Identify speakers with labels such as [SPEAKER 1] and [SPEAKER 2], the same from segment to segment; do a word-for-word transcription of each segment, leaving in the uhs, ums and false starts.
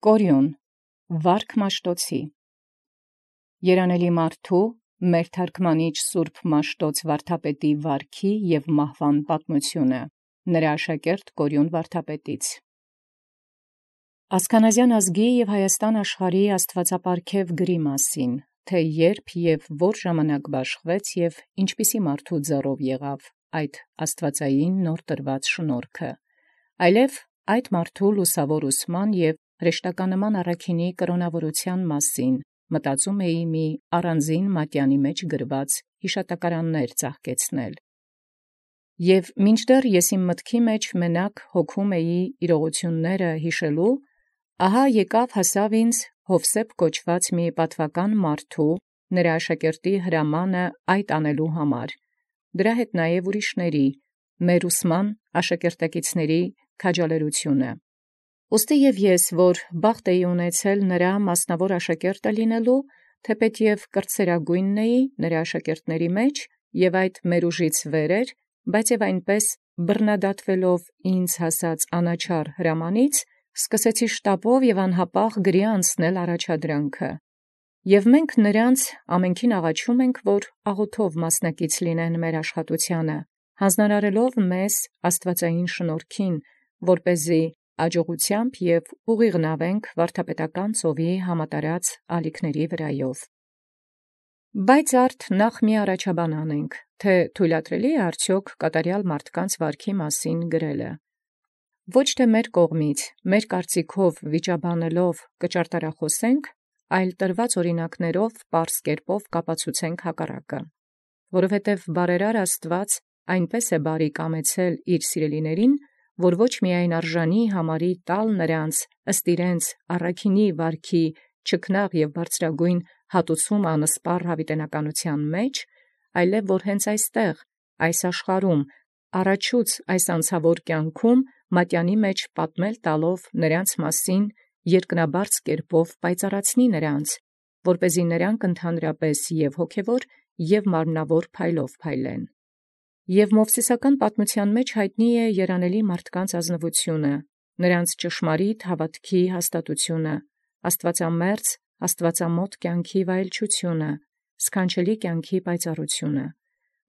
[SPEAKER 1] Կորյուն Վարք Մաշտոցի Երանելի մարդու մեր թարգմանիչ Սուրբ Մաշտոց վարդապետի վարքի և մահվան պատմությունը նրա աշակերտ Կորյուն վարդապետից Ասքանազյան ազգի և Հայաստան աշխարհի աստուածապարգև գրի մասին, թե երբ և որ ժամանակ բաշխվեց և ինչպիսի մարդու ձեռով եղավ այդ աստուածային նոր տրված շնորհքը, այլև այդ մարդու լուսավոր ուսման և հրեշտականման առաքինի կրոնավորության մասին մտածում էի մի առանձին մատյանի մեջ գրված հիշատակարաններ ծաղկեցնել։ Եվ մինչդեռ ես իմ մտքի մեջ մենակ հոգում էի իրողությունները հիշելու, ահա եկավ հասավ ինձ Յովսեփ կոչված մի պատվական մարդու նրա աշակերտի հրամանը այդ անելու համար, դրա հետ նաև ուրիշների, մեր ուսման աշակերտակիցների քաջալերությունը։ Ուստի և ես, որ բախտ էի ունեցել նրա մասնավոր աշակերտը լինելու, թեպետև կրտսերագույնն էի նրա աշակերտների մեջ և այդ մեր ուժից վեր էր, բայց և այնպես բռնադատվելով ինձ հասած անաչառ հրամանից, սկսեցի շտապով և անհապաղ գրի անցնել առաջադրանքը։ Եւ մենք նրանց ամենքին աղաչում ենք, որ աղոթով մասնակից լինեն մեր աշխատութեանը, յանձնարարելով մեզ աստուածային շնորհքին, որպեսզի աջողութեամբ և ուղիղ նաւենք վարդապետական ծովի համատարած ալիքների վրայով։ Բայց արդ նախ մի առաջաբան անենք, թե թույլատրելի է արդյոք կատարյալ մարդկանց վարքի մասին գրելը։ Ոչ թե մեր կողմից, մեր կարծիքով վիճաբանելով կճարտարախոսենք, այլ տրված օրինակներով պարզ կերպով կապացուցենք հակառակը։ Որովհետև բարերար Աստուած այնպես է բարի կամեցել իր սիրելիներին, որ ոչ միայն արժանի համարի տալ նրանց ըստ իրենց առաքինի վարքի չքնաղ և բարձրագույն հատուցում անսպառ յաւիտենականութեան մեջ, այլև որ հենց այստեղ, այս աշխարհում, առաջուց այս անցավոր կյանքում մատյանի մեջ պատմել տալով նրանց մասին երկնաբարձ կերպով պայծառացնի նրանց, որպեսզի նրանք ընդհանրապես և հոգևոր և մարմնավոր փայլով փայլեն։ Եւ Մովսիսական պատմութեան մեջ յայտնի է երանելի մարդկանց ազնվությունը, նրանց ճշմարիտ հաւատքի հաստատությունը, աստուածամերձ, աստուածամոտ կյանքի վայելչությունը, սքանչելի կյանքի պայծառությունը,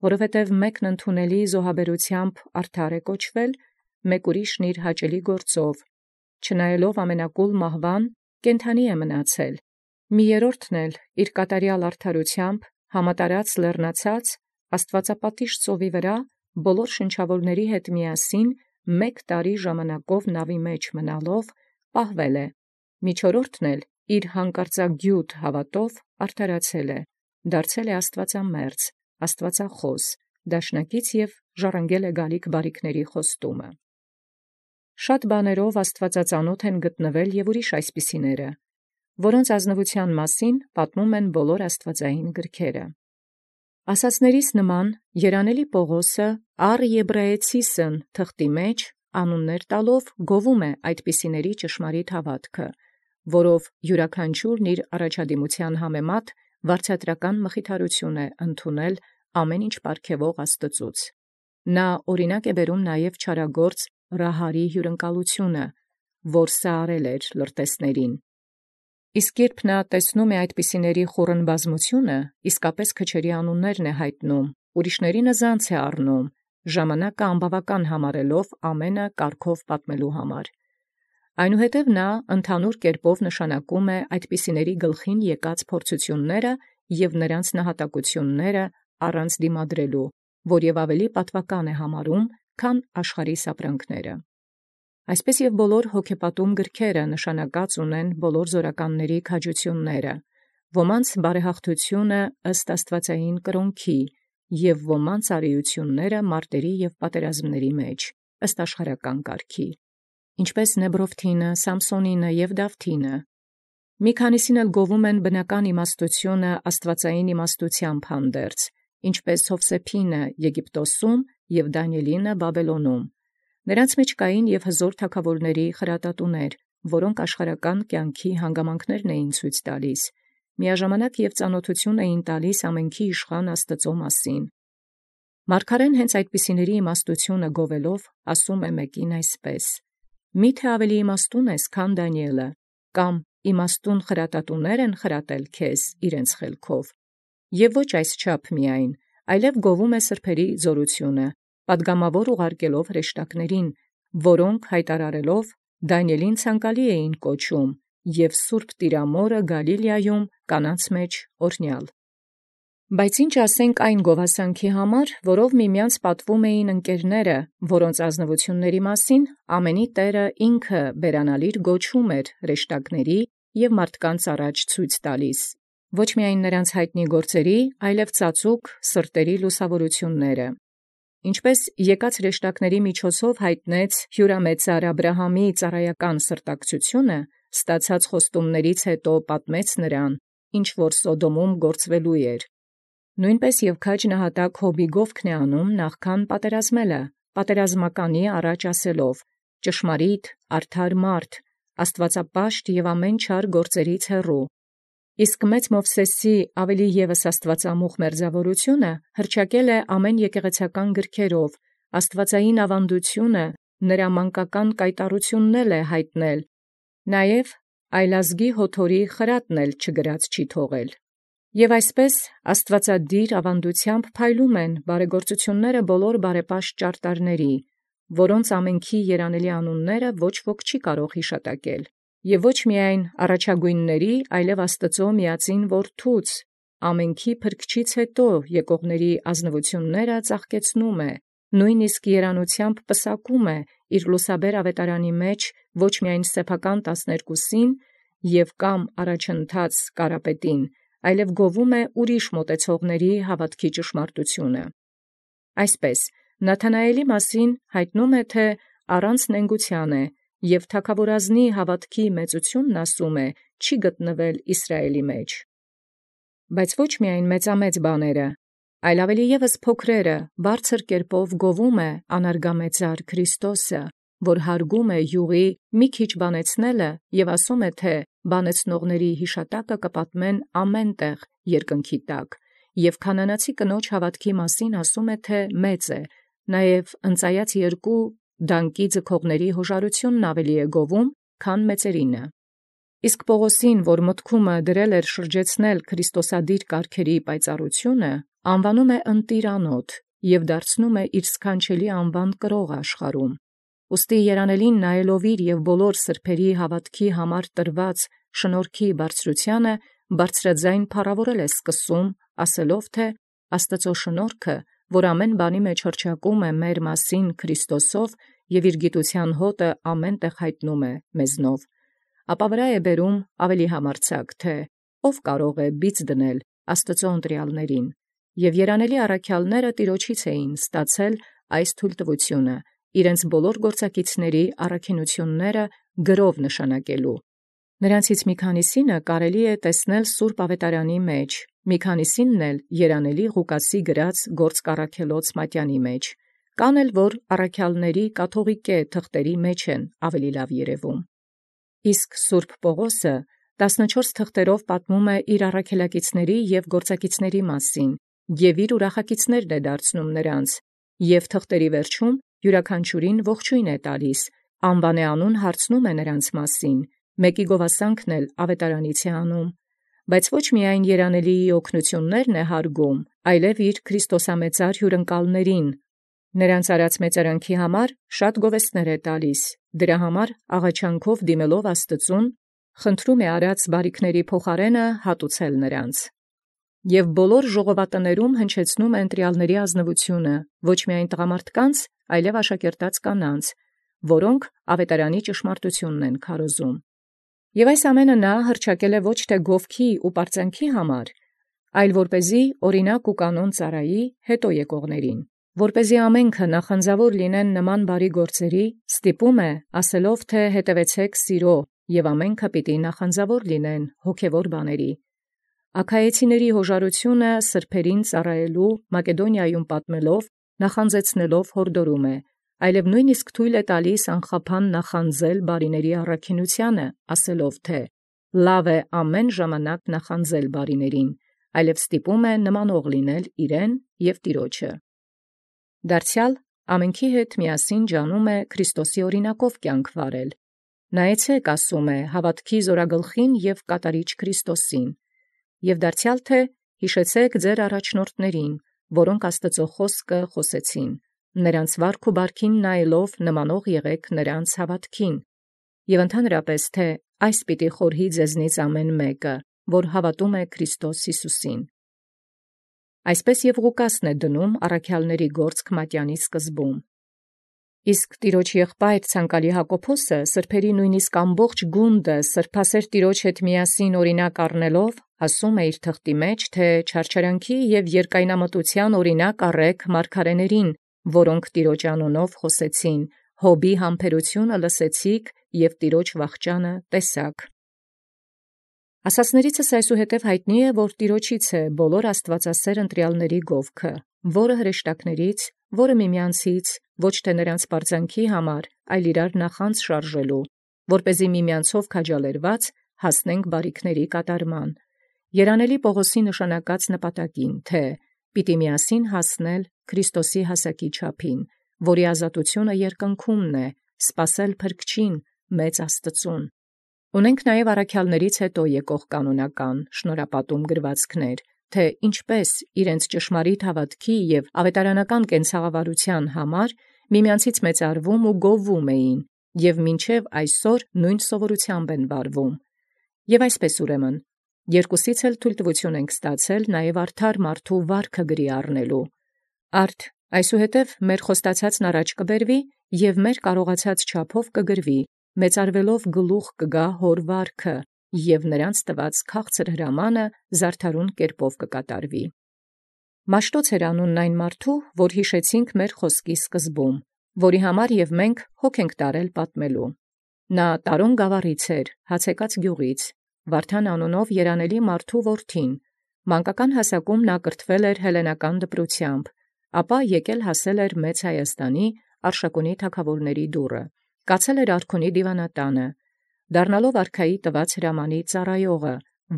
[SPEAKER 1] որովհետև մեկն ընդունելի զոհաբերութեամբ արդար է կոչվել, մեկ ուրիշն իր հաճելի գործով, չնայելով ամենակուլ մահվան, կենդանի է մնացել, մի երրորդն էլ իր կատարյալ արդարութեամբ համատարած լեռնացած աստուածապատիժ ծովի վրա բոլոր շնչավորաւքների հետ միասին մեկ տարի ժամանակով նավի մեջ մնալով պահվել է, միջորորդն էլ իր հանկարծագիւտ հաւատով արդարացել է, դարձել է աստուածամերձ, աստուածախաւս, դաշնակից և ժառանգել է գալիք բարիքների խոստումը։ Շատ բաներով աստուածածանաւթ են գտնվել և ուրիշ այսպիսիները, որոնց ազնվութեան մասին պատմում են բոլոր աստուածային գրքերը։ Ասացելոցս նման երանելի Պաւղոսը առ Եբրայեցիսն թղթի մեջ անունս տալով գովում է այդպիսիների ճշմարիտ հաւատքը, որով յուրաքանչյուրն իր առաջադիմութեան համեմատ վարձատրական մխիթարություն է ընդունել ամեն ինչ պարգևող Աստուծոյ։ Նա օրինակ է բերում նաև չարագործ Ռահարի հյուրընկալությունը, որ սարել էր լրտեսացն։ Իսկ երբ նա տեսնում է այդպիսիների խուռն բազմությունը, իսկապես քչերի անուններն է յայտնում, ուրիշներինը զանց է առնում, ժամանակը անբաւական համարելով ամենը կարգով պատմելու համար։ Այնուհետև նա ընդհանուր կերպով նշանակում է այդպիսիների գլխին եկած փորձութիւնները և նրանց նահատակութիւնները առանց դիմադրելու, որ և ավելի պատուական է համարում, քան աշխարհիս ապրանքները։ Այսպես և բոլոր հոգեպատում գրքերը նշանակած ունեն բոլոր զօրականացն քաջութիւնները, ոմանց բարեհաղթութիւնը ըստ աստուածային կրաւնքի, և ոմանց արիութիւնները մարտերի և պատերազմաց մեջ, ըստ աշխարհական կարգի, ինչպէս Նեբրովթինը, Սամփսոնինը և Դավթինը։ Մի քանիսին էլ գովում են բնական իմաստութիւնը աստուածային իմաստութեամբ հանդերձ, ինչպէս Յովսեփինը Եգիպտոս և Դանիէլինը Բաբելոնում։ Նրանց մեջ կային և հզոր թագաւորաց խրատատուներ, որոնք աշխարհական կյանքի հանգամանքներն էին ցույց տալիս, միաժամանակ և ծանաւթութիւն էին տալիս ամենքի իշխան Աստուծոյ մասին։ Մարգարէն հենց այդպիսիների իմաստութիւնը գովելով ասում է մեկին այսպես. «Մի՛թե ավելի իմաստուն ես, քան Դանիէլը, կամ իմաստուն խրատատուներ են խրատել քեզ իրենց խելքով։ Եվ ոչ այսչափ միայն, այլև գովում է սրբերի զորությունը, պատգամավոր ուղարկելով հրեշտակներին, որոնք հայտարարելով Դանիէլին ցանկալի էին կոչում, և Սուրբ Տիրամորը Գալիլեայում կանանց մեջ օրհնյալ։ Բայց ինչ ասենք այն գովասանքի համար, որով միմյանց պատվում էին ընկերները, որոնց ազնվությունների մասին ամենի Տէրը ինքը բերանալիր գոչում էր հրեշտակների և մարդկանց առաջ ցույց տալիս, ոչ միայն նրանց յայտնի գործերի, այլև ծածուկ սրտերի լուսավորությունները։ Ինչպես եկած հրեշտակների միջոցով յայտնեց հիւրամեծար Աբրահամի ծառայական սրտակցությունը, ստացած խոստումներից հետո պատմեց նրան, ինչ որ Սոդոմում գործվելու էր։ Նոյնպես և քաջ նահատակ Յոբի գովքն է անում նախքան պատերազմելը, պատերազմականի առաջ ասելով. ճշմարիտ, արդար մարդ, աստուածապաշտ և ամեն չար գործերից հեռու։ Իսկ մեծ Մովսէսի ավելի ևս աստուածամուխ մերձաւորությունը հռչակել է ամեն եկեղեցական գրքերով, աստուածային աւանդությունը նրա մանկական կայտառութիւնն էլ է յայտնել, նաև այլազգի յոթորի խրատն էլ չգրած չի թողել։ Եւ այսպէս աստուածադիր աւանդութեամբ փայլում են բարեգործութիւնները բոլոր բարեպաշտ ճարտարների, որոնց ամենքի երանելի անունները ոչ ոք չի կարող յիշատակել, և ոչ միայն առաջագոյնների, այլև Աստուծոյ միածին Որդուց, ամենքի փրկչից հետո եկողների ազնվությունները ծաղկեցնում է, նույնիսկ երանութեամբ պսակում է իր լուսաբեր աւետարանի մեջ ոչ միայն սեփական տասներկուսին և կամ առաջընթաց Կարապետին, այլև գովում է ուրիշ մատուցողացն հաւատոց ճշմարտութիւնը։ Այսպէս Նաթանայէլի մասին յայտնում է, թէ առանց նենգութեան է, և թագաւորազնի հաւատոց մեծութիւնն ասում է չի գտնվել Իսրայէլի մեջ։ Բայց ոչ միայն մեծամեծ բաները, այլ ավելի ևս փոքրերը բարձր կերպով գովում է անարգամեծար Քրիստոսը, որ յարգում է յուղի մի քիչ բանեցնելը և ասում է, թէ բանեցնողացն յիշատակը կպատմեն ամեն տեղ երկնքի տակ, և քանանացի կնոջ հաւատոց մասին ասում է, թէ մեծ է, նաև ընծայած երկու դանկի ձգողացն յօժարութիւնն ավելի է գովում, քան մեծերինը։ Իսկ Պողոսին, որ մտքումն դրել էր շրջեցնել քրիստոսադիր կարգերի պայծառութիւնը, անվանում է ընտիրանոթ և դարձնում է իր սքանչելի անուան կրող աշխարհում։ Ուստի երանելին նայելով իր և բոլոր սրբերի հաւատոց համար տրված շնորհքի բարձրութիւնը, բարձրագոյն փառաւորել է սկսում, ասելով, թէ «Աստուծոյ շնորհքը, որ ամեն բանի մեջ հռչակում է մեր մասին Քրիստոսով և իր գիտութեան հոտը ամեն տեղ յայտնում է մեզնով»։ Ապա վրայ է բերում ավելի համարձակ, թէ «Ո՛վ կարող է բիծ դնել Աստուծոյ ընտրեալսն», և երանելի առաքեալսն Տեառնէից էին ստացել այս թույլտվութիւնը, իրենց բոլոր գործակիցների առաքինութիւնսն գրով նշանակելու։ Նրանցից մի քանիսին կարելի է տեսանել սուրբ աւետարանի մեջ, մի քանիսին էլ երանելի Ղուկասի գրած գործք առաքելոց մատենի մեջ, կան էլ որ առաքեալսն կաթուղիկէ թղթերի մեջ են ավելի լաւ երևում։ Իսկ սուրբ Պողոսը տասնչորս թղթերով պատմում է իր առաքելակիցների և գործակիցների մասին, և իր ուրախակիցներն է դարձնում նրանց, և թղթերի վերջում յուրաքանչյուրին ողջոյն է տալիս, անուանեանուն հարցնում է նրանց մասին, մեկի գովասանքն էլ աւետարանից է անում, բայց ոչ միայն երանելիի օգնութիւնսն է յարգում, այլև իր քրիստոսամեծար հիւրընկալսն, նրանց արած մեծարանքի համար շատ գովեստներ է տալիս, դրա համար աղաչանքով դիմելով Աստուծուն, խնդրում է արած բարիքների փոխարենը հատուցել նրանց։ Եւ բոլոր ժողովատներում հնչեցնում է ընտրեալսն ազնվութիւնը, ոչ միայն տղամարդկանց, այլև աշակերտած կանանց, որոնք աւետարանի ճշմարտութիւնն են քարոզում։ Եւ այս ամենը նա հռչակել է ոչ թե գովքի ու պարծանքի համար, այլ որպեսզի օրինակ ու կանոն ծառայի հետո եկողացն, որպեսզի ամենքը նախանձաւոր լինեն նման բարի գործերի, ստիպում է ասելով, թէ «Հետևեցէք սիրո», և ամենքը պիտի նախանձաւոր լինեն հոգևոր բաների։ Աքայեցիների յօժարութիւնը սրբերին ծառայելու Մակեդոնիայում պատմելով, նախանձեցնելով յորդորում է, այլև նույնիսկ թույլ է տալիս անխափան նախանձել բարիների առաքինութեանը, ասելով, թէ «Լաւ է ամեն ժամանակ նախանձել բարիներին», այլև ստիպում է նմանող լինել իրեն և Տեառնէ։ Դարձեալ ամենքի հետ միասին ջանում է Քրիստոսի օրինակով կենք վարել, Նայեցեք, ասում է, հավատքի զորագլխին և կատարիչ Քրիստոսին, և դարձյալ թե հիշեցեք ձեր առաջնորդներին, որոնք Աստծո խոսքը խոսեցին, նրանց վարք ու բարքին նայելով նմանող եղեք նրանց հավատքին, և ընդհանրապես թե այս պիտի խորհի ձեզնից ամեն մեկը, որ հավատում է Քրիստոս Յիսուսին։ Այսպես և Ղուկասն է դնում առաքյալների գործք մատյանի սկզբում։ Իսկ Տիրոջ եղբայր ցանկալի Հակոբոսը սրբերի նույնիսկ ամբողջ գունդը սրբասեր Տիրոջ հետ միասին օրինակ առնելով, ասում է իր թղթի մեջ, թե չարչարանքի և երկայնամտության օրինակ առեք մարգարեներին, որոնք Տիրոջ անունով խոսեցին, Հոբի համբերությունը լսեցիք և Տիրոջ վախճանը տեսաք։ Ասացներիցս այսուհետև հայտնի է, որ Տիրոջից է բոլոր աստվածասեր ընտրյալների գովքը, որը հրեշտակներից, որը միմյանցից, ոչ թե նրանց պարծանքի համար, այլ իրար նախանձ շարժելու, որպեսզի միմյանցով քաջալերված հասնենք բարիքների կատարման, երանելի Պողոսի նշանակած նպատակին, թե պիտի միասին հասնել Քրիստոսի հասակի չափին, որի ազատությունը երկնքումն է, սպասել փրկչին, մեծ Աստծուն։ Ունենք նաև առաքյալներից հետո եկող կանոնական շնորհապատում գրվածքներ, թե ինչպես իրենց ճշմարիտ հավատքի և ավետարանական կենցաղավարության համար միմյանցից մեծարվում ու գովվում էին, և մինչև այսօր նույն սովորությամբ են վարվում։ Եւ այսպես ուրեմն, երկուսից էլ թույլտվություն ենք ստացել նաև արդար մարդու վարքը գրի առնելու։ Արդ այսուհետև մեր խոստացածն առաջ կբերվի և մեր կարողացած չափով կգրվի, մեծարվելով գլուխ կգա հոր վարքը, և նրանց տված քաղցր հրամանը զարդարուն կերպով կկատարվի։ Մաշտոց էր անունն այն մարդու, որ հիշեցինք մեր խոսքի սկզբում, որի համար և մենք հոգ ենք տարել պատմելու։ Նա Տարոն գավառից էր, Հացեկաց գյուղից, Վարդան անունով երանելի մարդու որդին, մանկական հասակում նա կրթվել էր հելլենական դպրությամբ, ապա եկել հասել էր Մեծ Հայաստանի Արշակունի թագավորների դուռը, կացել էր արքունի դիվանատանը, դառնալով արքայի տված հրամանի ծառայողը,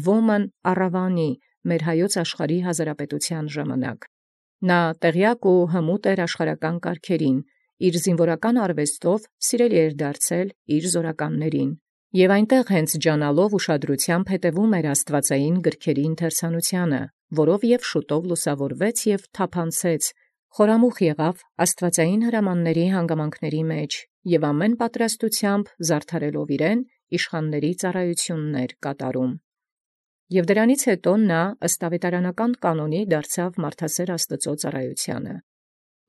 [SPEAKER 1] ոմն առավանի մեր հայոց աշխարհի հազարապետության ժամանակ։ Նա տեղյակ ու հմուտ էր աշխարհական կարգերին, իր զինվորական արվեստով սիրելի էր դարձել իր զորականներին, և այնտեղ հենց ջանալով ուշադրությամբ հետևում էր աստվածային գրքերի ընթերցանությանը, որով և շուտով լուսավորվեց և թափանցեց, խորամուխ եղավ աստվածային հրամանների հանգամանքների մեջ և ամեն պատրաստությամբ զարդարելով իրեն իշխանների ծառայություններ կատարում։ Եւ դրանից հետո նա ըստ ավետարանական կանոնի դարձավ մարդասեր Աստծո ծառայությանը։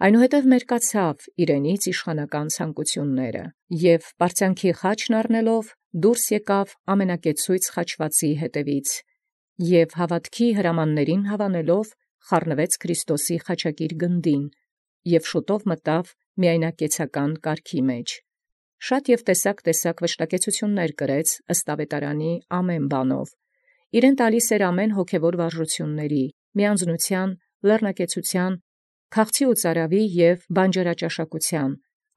[SPEAKER 1] Այնուհետև մերկացավ իրենից իշխանական ցանկությունները և պարծանքի խաչն առնելով դուրս եկավ ամենակեցույց խաչվածի հետևից և հավատքի հրամաններին հավանելով խառնվեց Քրիստոսի խաչակիր գնդին և շուտով մտավ միայնակեցական կարգի մեջ։ Շատ և տեսակ-տեսակ վշտակեցություններ կրեց ըստ ավետարանի ամեն բանով։ Իրեն տալիս էր ամեն հոգևոր վարժությունների, միանձնության, լեռնակեցության, քաղցի ու ծարավի և բանջարաճաշակության,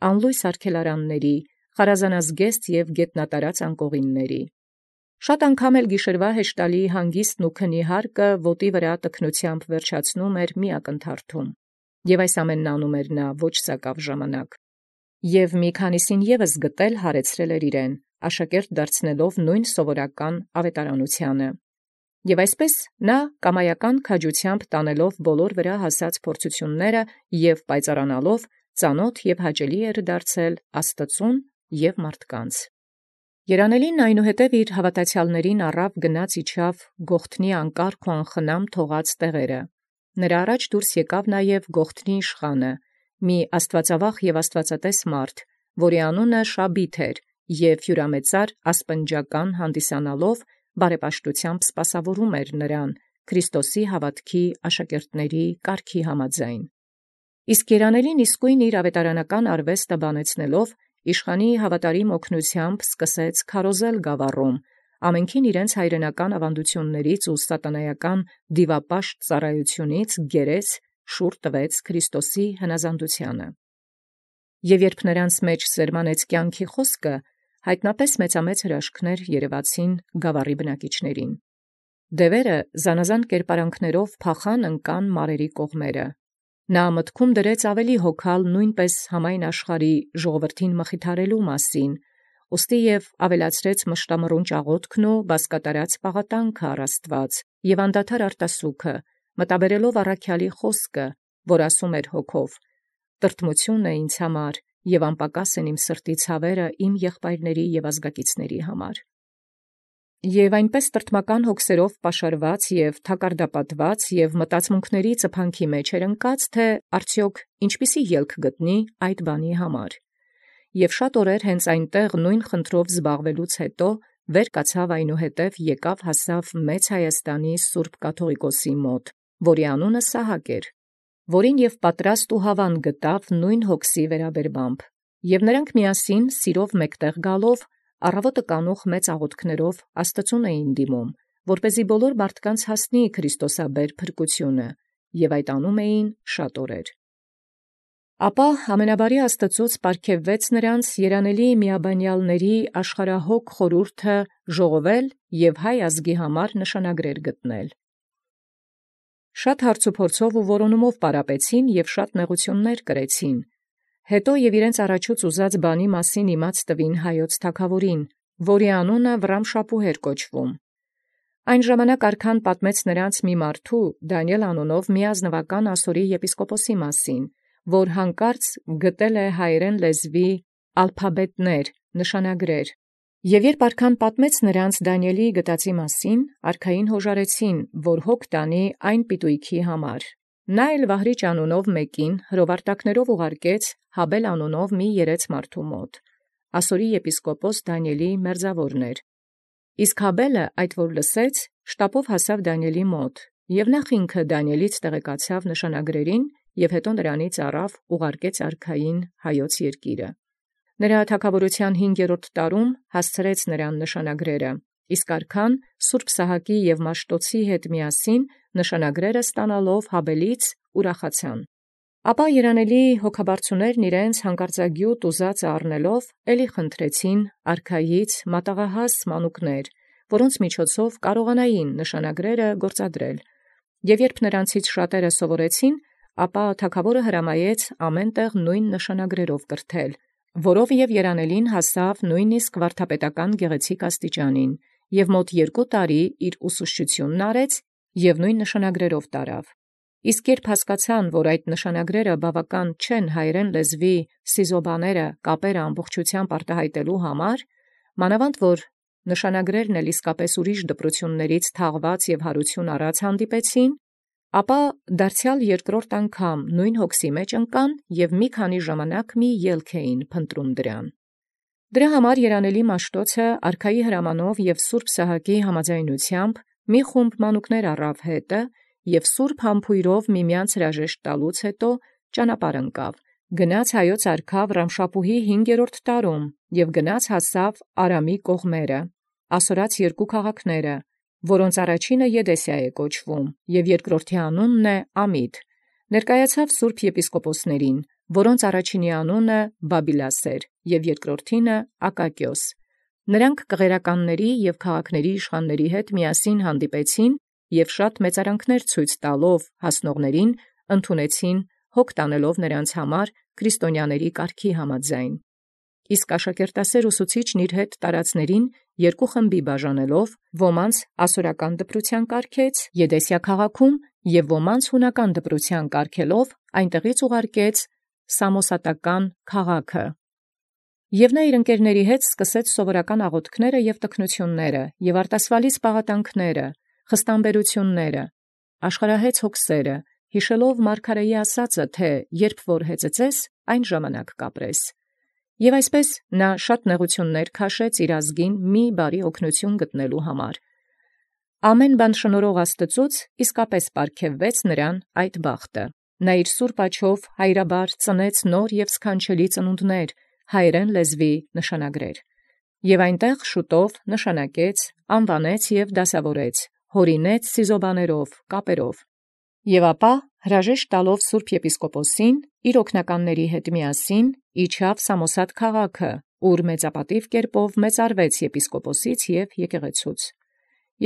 [SPEAKER 1] անլույս արգելարանների, խարազանազգեստ և գետնատարած անկողինների։ Շատ անգամ էլ գիշերվա հեշտալի հանգիստն ու քնի հարկը ոտի վրա տքնությամբ վերջացնում էր մի ակնթարթում, և այս ամենն անում էր նա ոչ սակավ ժամանակ։ Եվ մի քանիսին ևս գտել հարեցրել էր իրեն, աշակերտ դարձնելով նույն սովորական ավետարանությանը։ Եւ այսպես նա կամայական քաջությամբ տանելով բոլոր վրա հասած փորձությունները և պայծառանալով ծանոթ և հաճելի էր դարձել Աստծուն և մարդկանց։ Երանելին այնուհետև իր հավատացյալներին առավ գնաց իջավ Գողթնի անկարգ ու անխնամ թողած տեղերը։ Նրա առաջ դուրս եկավ նաև Գողթնի իշխանը, մի աստվածավախ և աստվածատես մարդ, որի անունը Շաբիթ էր, և հյուրամեծար ասպնջական հանդիսանալով բարեպաշտությամբ սպասավորում էր նրան Քրիստոսի հավատքի աշակերտների կարգի համաձայն։ Իսկ երանելին իսկույն իր ավետարանական արվեստը բանեցնելով իշխանի հավատարիմ օգնությամբ սկսեց քարոզել գավառում, ամենքին իրենց հայրենական ավանդություններից ու սատանայական դիվապաշտ ծառայությունից գերեց շուռ տվեց Քրիստոսի հնազանդությանը։ Եվ երբ նրանց մեջ սերմանեց կյանքի խոսքը, հայտնապես մեծամեծ հրաշքներ երևացին գավառի բնակիչներին։ Դևերը զանազան կերպարանքներով փախան ընկան մարերի կողմերը։ Նա մտքում դրեց ավելի հոգալ նույնպես համայն աշխարհի ժողովրդին մխիթարելու մասին, ուստի և ավելացրեց մշտամռուն ճաղոտքն ու բազկատարած պաղատանքը առ Աստուած, և անդադար արտասուքը, մտաբերելով առաքյալի խոսքը, որ ասում էր հոգով. «Տրտմութիւն է ինձ համար, և անպակաս են իմ սրտի ցաւերը իմ եղբայրների և ազգականացիների համար»։ Եւ այնպէս տրտմական հոգսերով պաշարված և թակարդապատված և մտածմունքների ծփանքի մեջ էր ընկած, թէ արդյոք յինչպիսի ելք գտնի այդ բանի համար։ Եւ շատ օրեր հենց այնտեղ նույն խնդրով զբաղվելուց հետո վեր կացավ այնուհետև եկեալ հասանէր մեծ Հայոց սուրբ կաթուղիկոսի մոտ, որոյ անունը Սահակ էր, որին և պատրաստ ու հաւան գտավ նույն հոգսի վերաբերմամբ, և նրանք միասին սիրով մեկտեղ գալով առաւոտը կանուխ մեծ աղոթքներով Աստուծոյ էին դիմում, որպեսզի բոլոր մարդկանց հասանիցի քրիստոսաբեր փրկութիւնը, և այդ անում էին շատ օրեր։ Ապա ամենաբարի Աստուծոյ պարգևեց նոցա երանելի միաբանեալսն աշխարհահոգ խորհուրդը ժողովել և հայ ազգի համար նշանագրեր գտնել։ Շատ հարցուփորձով ու որոնումով պարապեցին և շատ նեղութիւնս կրեցին. հետո և իրենց առաջուց ուզած բանի մասին իմաց տվին Հայոց թագաւորին, որոյ անունը Վռամշապուհ կոչէր։ Այն ժամանակ արքայն պատմեց նոցա մի մարդու Դանիէլ անունով մի ազնուական ասորւոյ եպիսկոպոսի մասին, որ յանկարծ գտել հայերէն լեզուի ալփաբետներ նշանագրեր. և երբ արքայն պատմեց նոցա Դանիէլի գտածոյ մասին, արքային յօժարեցին, որ հոգ տանիցի այն պիտոյիցն համար։ Նա էլ Վահրիճ անունով մեկին հրովարտակներով ուղարկեց Հաբէլ անունով մի երէց մարդու մոտ, ասորւոյ եպիսկոպոս Դանիէլի մերձաւորն էր։ Իսկ Հաբէլը այդ որ լսեց, շտապով հասանէր Դանիէլի մոտ, և նախ ինքն Դանիէլից տեղեկացեալ նշանագրերին, և հետո նրանից առեալ ուղարկեց արքային Հայոց երկիրը։ Նրա թագաւորութեան հինգերորդ տարում հասուցանէր նրան նշանագրերը, իսկ արքայն սուրբ Սահակաւ և Մաշտոցի հետ միասին նշանագրերը ստանալով Հաբէլից ուրախացան։ Ապա երանելի հոգաբարձուացն իւրեանց յանկարծագիւտ ուզածն առնելով, եդեալ խնդրէին արքայից մատաղահաս մանուկս, որոնց միջոցով կարողանային նշանագրերը գործադրել։ Եւ յորժամ նոցից շատերը սովորեցին, ապա թագաւորին հրամայէր ամենայն տեղ նովին նշանագրովք կրթել, որով և երանելին հասանէր նոյնպիսկ վարդապետական գեղեցիկ աստիճանին, և մոտ երկու տարի ուսուցչութիւն արարեալ և նովին նշանագրովք տարեալ։ Իսկ յորժամ հասուցանէին, թէ այդ նշանագրերը բաւական չեն հայերէն լեզուի սիղոբայիւք կապս ամբողջութեամբ արտահայտելոյ, մանաւանդ որ նշանագրերն էլ իսկապէս ուրիշ դպրութեանց թաղեալք և յարութիւն առեալ հանդիպեցին, ապա դարձեալ երկրորդ անգամ նոյն հոգսի մեջ ընկան և մի ժամանակս մի ելք փնտրէին դրան։ Դրա համար երանելի Մաշտոցն արքայի հրամանով և սուրբ Սահակաւ համաձայնութեամբ մի խումբ մանկտւոյ առեալ հետը և սուրբ համբոյրով միմեանց հրաժեշտ տալուց յետո ճանապարհ ընկավ, գնաց Հայոց արքայ Վռամշապուհի հինգերորդ տարում և գնաց հասանէր Արամի կողմանս, ասորացս երկուք քաղաքս, որոց առաջինն Եդեսիա կոչուէ, և երկրորդին անունն Ամիդ, ներկայացեալ սուրբ եպիսկոպոսացն, որոց առաջինին անունն Բաբիլաս և երկրորդին Ակակիոս։ Նոցա կղերականաւք և քաղաքացիաց իշխանաց հետ միասին հանդիպեցին և շատ մեծարանս ցույց տալով հասելոցն ընդունէին հոգ տանելով նոցա համար քրիստոնեաց կարգի համաձայն։ Իսկ աշակերտասէր ուսուցիչն իւր հետ տարածելոցն երկու խմբի բաժանելով, ոմանց ասորական դպրութեան կարգեալ Եդեսիա քաղաքում, և ոմանց յունական դպրութեան կարգելով այնտեղից ուղարկեալ Սամոսատական քաղաքը։ Եւ նորա իւր ընկերաւք հետ սկսեալ սովորական աղաւթքս և տքնութիւնս և արտասուալից պաղատանքս, խստամբերութիւնս, աշխարհահեծ հոգս, յիշելով մարգարէին ասածը, թէ՝ «Յորժամ որ հեծեծես, յայն ժամանակ կ'ապրես»։ Եւ այնպէս նորա բազում նեղութիւնս քաշէր իր ազգին մի բարի օգնութիւն գտնելոյ համար։ Ամենայն բան շնորհող Աստուծոյ իսկապէս պարգևեց նմա այդ բախտը։ Նա իր սուրբ աջով հայրաբար ծնեց նոր և սքանչելի ծնունդս, հայերէն լեզուի նշանագրեր։ Եւ այնտեղ շուտով նշանակեալ, անուանեալ և դասաւորեալ, յաւրինէր սիղոբայիւք կապերով։ Եւ ապա հրաժեշտ տալով սուրբ եպիսկոպոսին, իր աւգնականաւքն հետ միասին իջանէր Սամոսատ քաղաքը, ուր մեծապատիւ մեծարեալ եպիսկոպոսից և եկեղեցւոյ։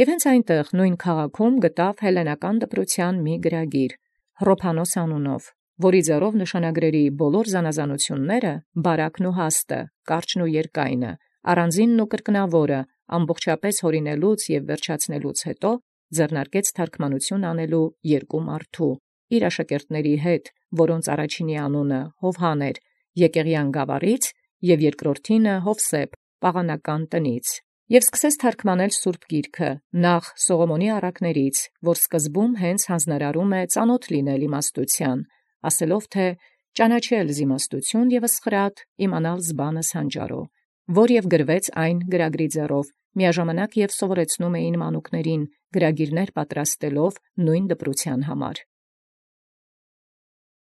[SPEAKER 1] Եւ հենց այնտեղ նոյն քաղաքում գտանէր հելլենական դպրութեան մի գրագիր Հռոփանոս անունով, որոյ ձեռով նշանագրովք բոլոր զանազանութիւնս՝ բարակն ու հաստը, կարճն ու երկայնը, Առանձինն ու կրկնաւորը ամբողջապէս յաւրինելուց և վերջացնելուց յետոյ ձեռնարկեալ թարգմանութիւն անելու երկու մարդու իւր աշակերտաւքն հետ, որոց առաջնոյն անունն Յովհան էր, Եկեղեան գաւառէն, և երկրորդին Յովսէփ պաղանական տանէն։ Եւ սկիզբ թարգմանել Սուրբ Գիրքը նախ Սողոմոնի առակաց, որ սկզբում անդէն յանձնարարէ ծանաւթ լինել իմաստութեան, ասելով թէ՝ «Ճանաչել զիմաստութիւն և զխրատ, իմանալ զբանս հանճարոյ», որ և գրեաց այն գրագրի ձեռով, միաժամանակ և ուսուցանէին մանկտոյն գրագիրս պատրաստելով նմին դպրութեան համար։